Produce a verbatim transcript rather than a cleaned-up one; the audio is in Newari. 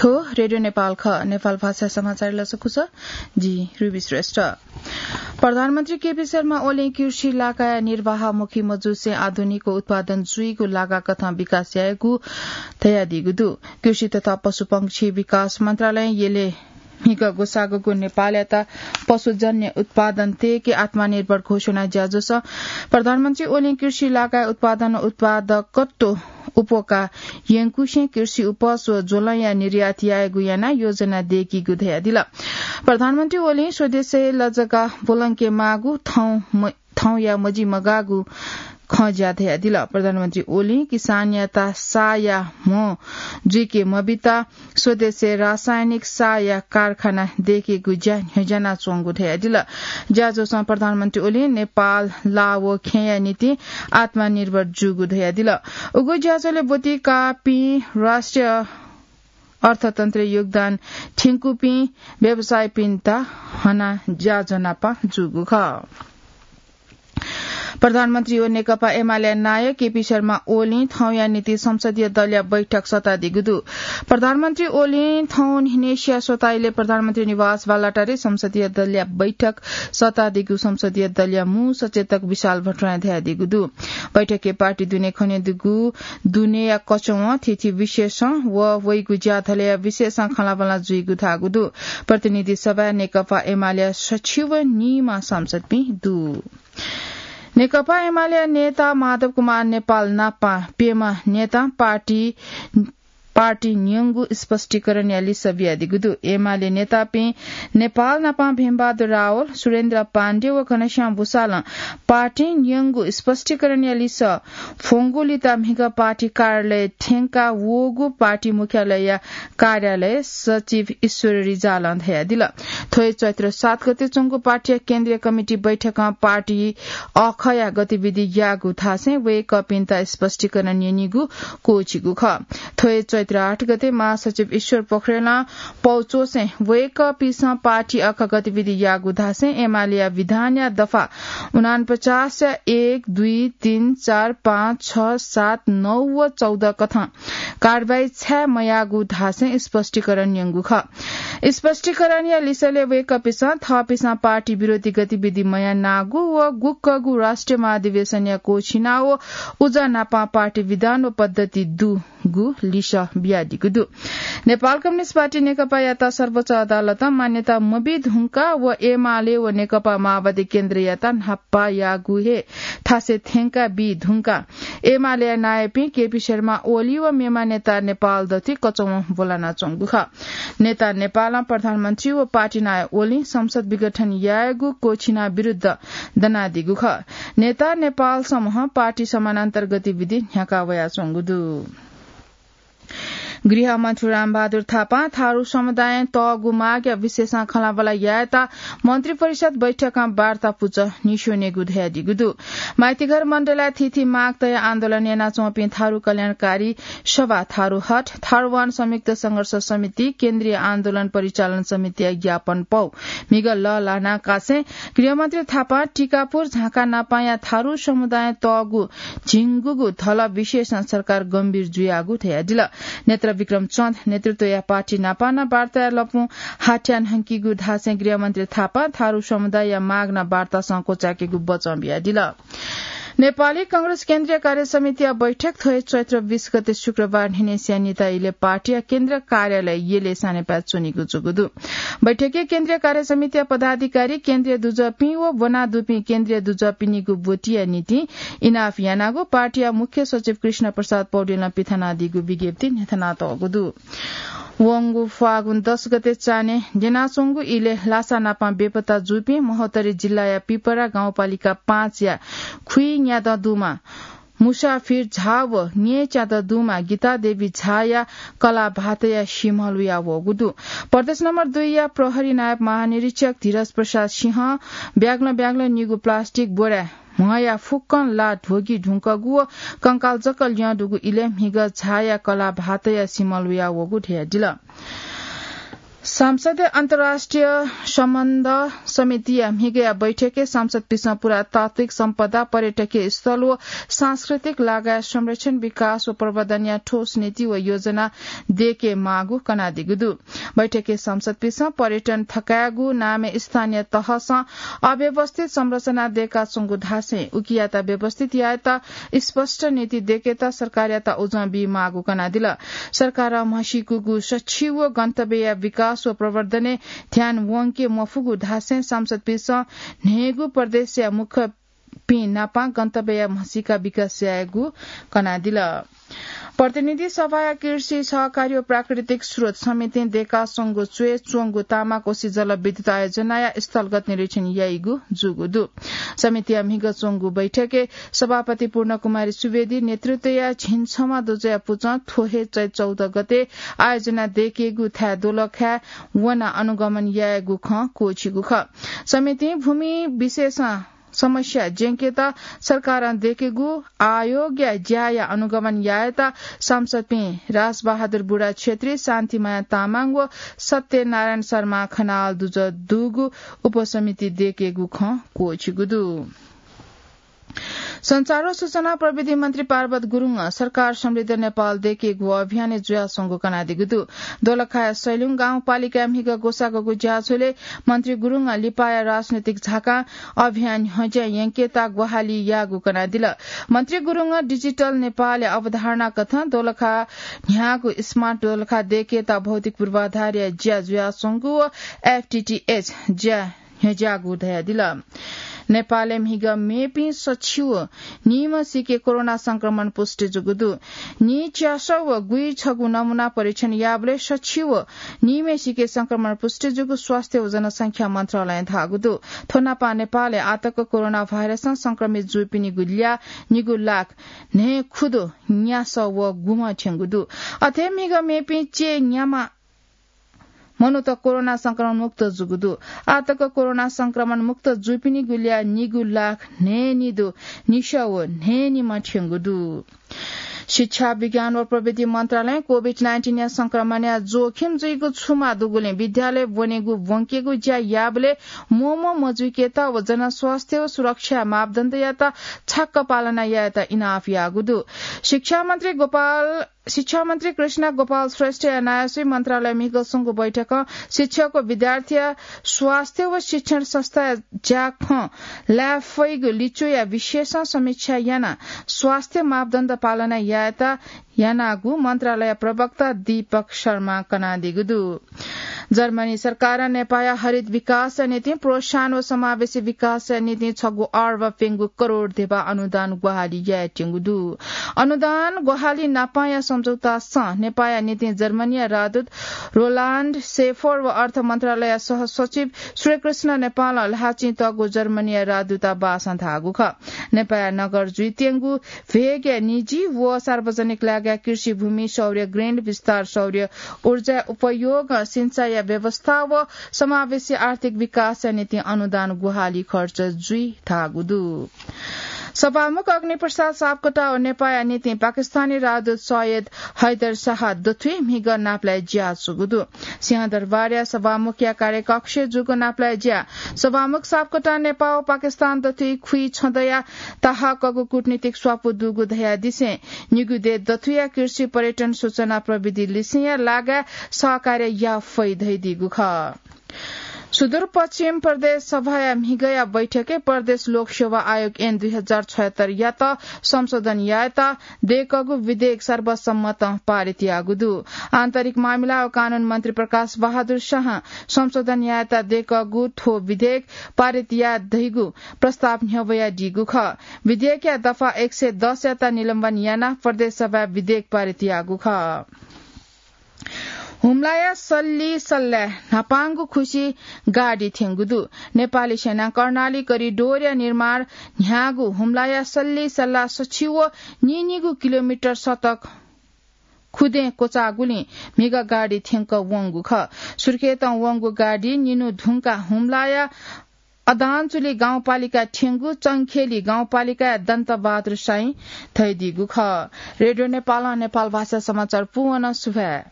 थ्व रेडियो नेपाल खः। नेपाल भाषा समाचार लसकुस। जि रुबी श्रेष्ठ। प्रधानमन्त्री केपी शर्मा ओलीं कृषि लागाया निर्वाहमुखी मजुसे आधुनिक उत्पादन जुइगु लागा कथं विकास यायेगु धयादीगु दु। कृषि तथा पशुपक्षी विकास मन्त्रालयं यले म्हिगः ग्वसाःगु नेपालयात पशुजन्य उत्पादन तयेके आत्मनिर्भर घोषणा ज्याझ्वलय् प्रधानमन्त्री ओलीं कृषि लागाया उत्पादन उत्पादकत्व उप्वका यंकुसें कृषि उपज व ज्वलंया निर्यात यायेगु यानाः योजना दयेकीगु धयादिल। प्रधानमन्त्री ओलीं स्वदेशय् लजगाः ब्वलंके माःगु थौं म-, थौंया मजिमगाःगु खँ ज्या धयादिल। प्रधानमन्त्री ओलीं किसानयात साःया म्ह जुइके मबिता स्वदेशय् रासायनिक साःया कारखाना दयेकेगु ज्या न्ह्यज्यानाच्वंगु धयादिल। ज्याझ्वलं प्रधानमन्त्री ओलीं नेपाल, लाः व खेँया निंतिं आत्मनिर्भर जूगु धयादिल। उगु ज्याझ्वलय् ब्वति काःपिं राष्ट्रिय अर्थतन्त्रय् योगदान थ्यंकूपिं व्यवसायीपिन्त हनाः ज्याझ्वः नापं जूगु खः। प्रधानमन्त्री व नेकपा एमाले नायः केपी शर्मा ओलीं थौंया निंतिं संसदीय दलया बैठक सःतादीगु दु। प्रधानमन्त्री ओलीं थौं न्हिनेसिया स्वताइलय् प्रधानमन्त्री निवास बालुवाटारय् संसदीय दलया बैठक सःतादीगु संसदीय दलया मू सचेतक विशाल भट्टराईं धयादीगु दु। बैठकय् पार्टी दुने खनेदुगु दुनेया कचवं थीथी विषयसं व वइगु ज्याझ्वलया विषयसं खँल्हाबल्हा जुइगु धाःगु दु। प्रतिनिधि सभाय् नेकपा एमालेया सछि व निम्ह सांसदपिं दु। नेकपा एमालेया नेता माधव कुमार नेपाल नापं प्यम्ह नेतां पार्टी, पार्टी न्यंगु स्पष्टीकरणया लिसः बियादीगु दु। एमाले नेतापिं नेपाल नापं भेमबहादुर रावल, सुरेन्द्र पाण्डे व घनश्याम भुसालं पार्टी न्यंगु स्पष्टीकरणया लिसः फ्वंगुलिं म्हिगः पार्टी कार्यालय थ्यंका वःगु पार्टी मुख्यालयया कार्यालय सचिव ईश्वर रिजालं धयादिल। थ्व हे चैत्र सात गते च्वंगु पार्टीया केन्द्रीय कमिटी बैठकं पार्टी अःखया गतिविधि याःगु धासें वय्कःपिन्त स्पष्टीकरण न्यनीगु क्वःछिगु खः। थ्व हे चैत्र आठ गते महासचिव ईश्वर पोखरेलं पौ च्वसें वय्कःपिन्सं पार्टी अःख गतिविधि याःगु धासें एमालेया विधानया दफा उनापचासया एक, दुई, तीन, चार, पाँच, छ, सात, नौ व चौध कथं कारवाही छाय् मयाःगु धासें स्पष्टीकरण न्यंगु खः। स्पष्टीकरणया लिसलय् वय्कःपिन्सं थःपिन्सं पार्टी विरोधी गतिविधि मयानागु व गुकगु राष्ट्रिय महाधिवेशनया क्वःछिना व उजं नापं पार्टी विधान व पद्धति दुगु लिसः बियादीगु दु। नेपाल कम्युनिस्ट पार्टी नेकपायात सर्वोच्च अदालतं मान्यता मबी धुंकाः व एमाले व नेकपा माओवादी केन्द्रयात न्हापा याःगु हे थासय् थ्यंका बी धुंकाः एमालेया नायःपिं केपी शर्मा ओली व मेम्ह नेता नेपाल दथुइ कचवं ब्वलानाच्वंगु खः। नेता नेपालं प्रधानमन्त्री व पार्टी नायः ओलीं संसद विघटन यायेगु क्वःछिना विरुद्ध दनादीगु खः। नेता नेपाल समूहं पार्टी समानान्तर गतिविधि न्ह्याका वयाच्वंगु दु। गृहमन्त्री रामबहादुर थापां थारु समुदायं तःगु मागया विषयसं खँल्हाबल्हा यायेत मन्त्री परिषद बैठकं वार्ता पुचः न्ह्यसनेगु धयादीगु दु। माइतीघर मण्डलय् थीथी माग तयाः आन्दोलन यानाच्वंपिं थारु कल्याणकारी सभा थारुहट, थारुवान संयुक्त संघर्ष समिति, केन्द्रीय आन्दोलन परिचालन समितिया ज्ञापन पौ म्हिगः लःल्हानाकासें गृहमन्त्री थापां टिकापुर झाँक्रीनापांया थारु समुदायं तःगु झिंगुगु धलब विषयसं सरकार गम्भीर जुयागु धयादिल। नेत्र विक्रम चन्द नेतृत्वया पार्टी नापं नं वार्ताया लँपुं हाथ्याः न्हंकीगु धासें गृहमन्त्री थापां थारु समुदायया माग नं वार्तासं क्वचायेकेगु बचं बियादिल। नेपाली कांग्रेस केन्द्रीय कार्य समितिया बैठक थ्व हे चैत्र बीस गते शुक्रबार न्हिनेसिया निता इलय् पार्टीया केन्द्रीय कार्यालय यलय् सानेपाय् च्वनीगु जूगु दु। बैठकय् केन्द्रीय कार्य समितिया पदाधिकारी, केन्द्रीय दुजःपिं व ब्वनादुपिं केन्द्रीय दुजःपिनिगु ब्वतिया निंतिं इनाप यानागु पार्टीया मुख्य सचिव कृष्ण प्रसाद पौडेलं पिथनादीगु विज्ञप्तिइ न्ह्यथनातःगु दु। वंगु फागुन दस गते चान्हय् द्यनाच्वंगु इलय् लासा नापं बेपत्ता जूपिं महोत्तरी जिल्लाया पिपरा गाउँपालिका पाँचया खुइन्यादँ दुमा मुसाफिर झा व न्येच्यादँ दुमा गीता देवी झाया कलाः भातया सिमल हुया वःगु दु। प्रदेश नम्बर दुईया प्रहरी नायब महानिरीक्षक धीरज प्रसाद सिंहं ब्याग्लं ब्याग्लं नीगु प्लास्टिक बोराय् म्हया फुक्कं ला ध्वगी धुंकूगु व कंकाल जक ल्यं दुगु इलय् म्हिगः झाया कलाः भातया सिमल हुया वःगु धयादिल। सांसदया अन्तर्राष्ट्रिय सम्बन्ध समितिया म्हिगया बैठकय् सांसदपिसं पुरातात्विक सम्पदा, पर्यटकीय स्थल व सांस्कृतिक लगायत संरक्षण, विकास व प्रवर्धनया ठोस नीति व योजना देके माःगु कनादीगु दु। बैठकय् सांसदपिसं पर्यटन थकायेगु नामय् स्थानीय तहसं अव्यवस्थित संरचना दयेकाच्वंगु धासें उकियात व्यवस्थित यायेत स्पष्ट नीति दयेकेत सरकारयात उजं बी माःगु कनादिल। सरकारं म्हसीकूगु सछि व गन्तव्यया विकास व प्रवर्धनय् ध्यान वंके मफुगु धासें सांसदपिसं न्हय्गू प्रदेशया मुख्यपिं नापं गन्तव्यया म्हसीका विकास यायेगु कनादिल। प्रतिनिधि सभाया कृषि, सहकारी व प्राकृतिक स्रोत समितिं दयेकाच्वंगु च्वय् च्वंगु तामाकोशी जलविद्युत आयोजनाया स्थलगत निरीक्षण याइगु जूगु दु। समितिया म्हिगः च्वंगु बैठकय् सभापति पूर्णकुमारी सुवेदी नेतृत्वया झिंछम्ह दुजःया पुचः थ्व हे चैत चौध गते आयोजना दयेकेगु थाय् दोलखाय् वनाः अनुगमन यायेगु खँ क्वःछिगु खः। समितिं भूमि विशेषं समस्या ज्यंकेत सरकारं दयेकेगु आयोगया ज्याया अनुगमन यायेत सांसदपिं राजबहादुर बुढा क्षेत्री, शान्तिमाया तामाङ व सत्यनारायण शर्मा खनाल दुजः दुगु उपसमिति दयेकेगु खँ क्वःछिगु दु। सञ्चार व सूचना प्रविधि मन्त्री पार्वत गुरुङं सरकार समृद्ध नेपाल दयेकेगु अभियानय् जुयाच्वंगु कनादीगु दु। दोलखाया सैलुङ गाउँपालिकाया म्हिगः ग्वसाःगु ज्याझ्वलय् मन्त्री गुरुङं लिपाया राजनैतिक झाकां अभियान न्ह्यज्यां यंकेत ग्वाहालि याःगु कनादिल। मन्त्री गुरुङं डिजिटल नेपालया अवधारणा कथं दोलखा न्ह्याःगु स्मार्ट दोलखा दयेकेत भौतिक पूर्वाधारया ज्या जुयाच्वंगु व एफटीटीएच ज्या न्ह्यज्याःगु धयादिल। नेपालय् म्हिगः मेपिं सछि व नीम्हसिके कोरोना संक्रमण पुष्टि जूगु दु। नीच्यासः व गुइछगू नमूना परीक्षण याःबलय् सछि व नीम्हसिके संक्रमण पुष्टि जूगु स्वास्थ्य व जनसंख्या मन्त्रालयं धाःगु दु। थ्व नापं नेपालय् आःतक कोरोना भाइरसं संक्रमित जूपिनिगु ल्याः निगू लाख न्हय्खुदु न्यासः व गुम्ह थ्यंगु दु। अथे म्हिगः मेपिं चय्न्याम्ह मनूत कोरोना संक्रमण मुक्त जूगु दु। आःतक कोरोना संक्रमण मुक्त जूपिनिगु ल्याः निगू लाख न्हय्निदु निसः व न्हय्निम्ह थ्यंगु दु। शिक्षा, विज्ञान व प्रविधि मन्त्रालयं कोभिड नाइन्टिनया संक्रमणया जोखिम जुइगु छुमा दुगुलिं विद्यालय ब्वनेगु ब्वंकेगु ज्या याःबलय् मोमो मजुइकेत व जनस्वास्थ्य व सुरक्षा मापदण्डयात छाक्क पालना यायेत इनाप याःगु दु। शिक्षा मन्त्री गोपाल शिक्षा मन्त्री कृष्ण गोपाल श्रेष्ठया नायःसुइ मन्त्रालय म्हिगः स्वंगु बैठकं शिक्षक व विद्यार्थीया स्वास्थ्य व शिक्षण संस्थाया ज्याखँ लाये फइगु लिच्वया विषयसं समीक्षा यानाः स्वास्थ्य मापदण्ड पालना यायेत यानागु मन्त्रालय प्रवक्ता दीपक शर्मां कनादीगु दु। जर्मनी सरकारं नेपाःया हरित विकासया निंतिं प्रोत्साहन व समावेशी विकासया निंतिं छगू अर्ब प्यंगू करोड धेबा अनुदान ग्वाहालि यायेत्यंगु दु। अनुदान ग्वाहालि नापांया सम्झौतासं नेपाःया निंतिं जर्मनीया राजदूत रोलान्ड सेफर व अर्थ मन्त्रालयया सहसचिव श्रीकृष्ण नेपालं ल्हाःचिं तःगु जर्मनीया राजदूतावासं धाःगु खः। नेपाःया नगर जुइत्यंगु भेगया निजी व सार्वजनिक लागाय् कृषि भूमि, सौर्य ग्रिड विस्तार, सौर्य ऊर्जा उपयोग, सिंचाइया व्यवस्था व समावेशी आर्थिक विकासया निंतिं अनुदान ग्वाहालि खर्च जुइ धाःगु दु। सभामुख अग्निप्रसाद सापकोटा व नेपाःया निंतिं पाकिस्तानी राजदूत सैयद हैदर शाह दथुइ म्हिगः नापलाये ज्या जूगु दु। सिंहदरबारया सभामुखया कार्यकक्षय् जूगु नापलाये ज्या सभामुख सापकोटा नेपाः व पाकिस्तान दथुइ खुइ छ्यदँया ताहाकःगु कूटनीतिक स्वापू दुगु धयादिसें निगू देय् दथुया कृषि पर्यटन सूचना प्रविधि लिसेंया लागाय् सहकार्य याये फइ धयादीगु खः। सुदूरपश्चिम प्रदेश सभाया म्हिगःया बैठकय् प्रदेश लोकसेवा आयोग ऐन दुई हजार छयत्तरयात संशोधन यायेत दय्कःगु विधेयक सर्वसम्मतं पारित याःगु दु। आन्तरिक मामिला व कानून मन्त्री प्रकाश बहादुर शाहं संशोधन यायेत दय्कःगु थ्व विधेयक पारित याये धइगु प्रस्ताव न्ह्यब्वयादीगु खः। विधेयकया दफा एक सय दसयात निलम्बन यानाः प्रदेश सभाय् विधेयक पारित याःगु खः। हुम्लाया सल्ली सल्लाय् न्हापांगु खुसि गाडी थ्यंगु दु। नेपाली सेनां कर्णाली करिडोरया निर्माण न्ह्याःगु हुम्लाया सल्ली सल्ला सछि व नीनिगू किलोमिटर सडक खुदँय् क्वचाःगुलिं म्हिगः गाडी थ्यंक वंगु खः। सुर्खेतं वंगु गाडी निन्हु धुंकाः हुम्लाया अदानचुली गाउँपालिका थ्यंगु चंखेली गाउँपालिकाया दन्तबहादुर साईं धयादीगु खः। रेडियो नेपालं नेपाल भाषा समाचार पूवन सुभाय्।